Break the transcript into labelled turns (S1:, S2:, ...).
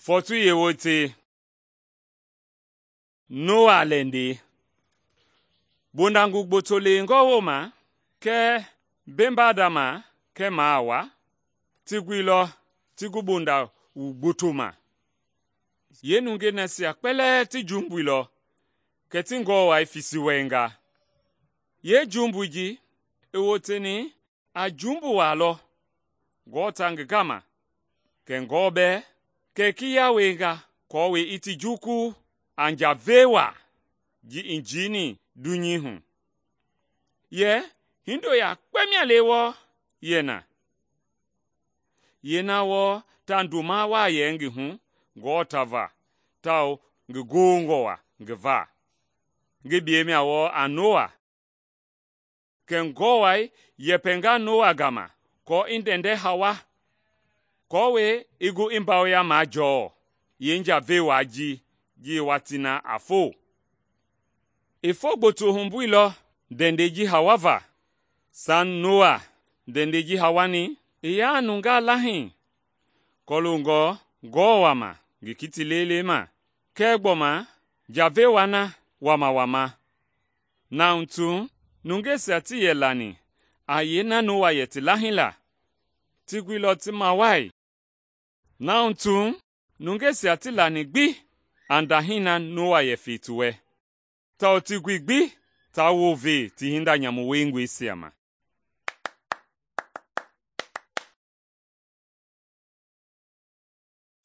S1: Fɔɔtui yeewote, Noa lɛndɛi. Bondangu gboto lewengɔ wooma kɛɛ mbembadama kɛɛ maawa ti guilɔ ti gu bondawu gboto ma. Yeenungei nasia kpɛlɛɛ ti jumbuilɔ kɛ ti ngɔwai fisi wɛnga. Yeejumbui ji i woteni a jumbu waa lɔ aako ta ngi gama, kɛ ngɔ bɛɛ kɛ kiya wienga aako i ti jukulu a njavei waa ji i jiini dunyei hu. Yɛ hindo yakpe mia le wɔɔ yɛ na. Yeena wɔɔ ta ndoma waa yɛ ngi hu aako ta va tawao ngi gongɔ waa ngi va. Ngi biyei mia wɔɔ a Noa. Kɛ ngɔwai yɛpɛnga Noa gama aako i ndɛndɛ Hawa aako i gu i mbawoya majɔɔ yeenjavei waa ji i watii na a foo. I foo gboto humbuilɔ ndɛndɛi ji Hawa va. Saŋ Noa ndɛndɛi ji Hawani i yaa nungaa lahii kɔloongɔ ngɔɔ wama ngi kiti lelei ma, kɛɛ gbɔma njavei waa na wamawama. Na hu nungeisia tii yɛ lani a yeena Noa yɛ ti lahii la, ti guilɔ ti mawai. Na hu nungeisia tii lani gbi a ndahii na Noa yɛ fei ti wɛ, tawao ti gui gbi taa wounve ti hinda nyamu wiengɔisia ma.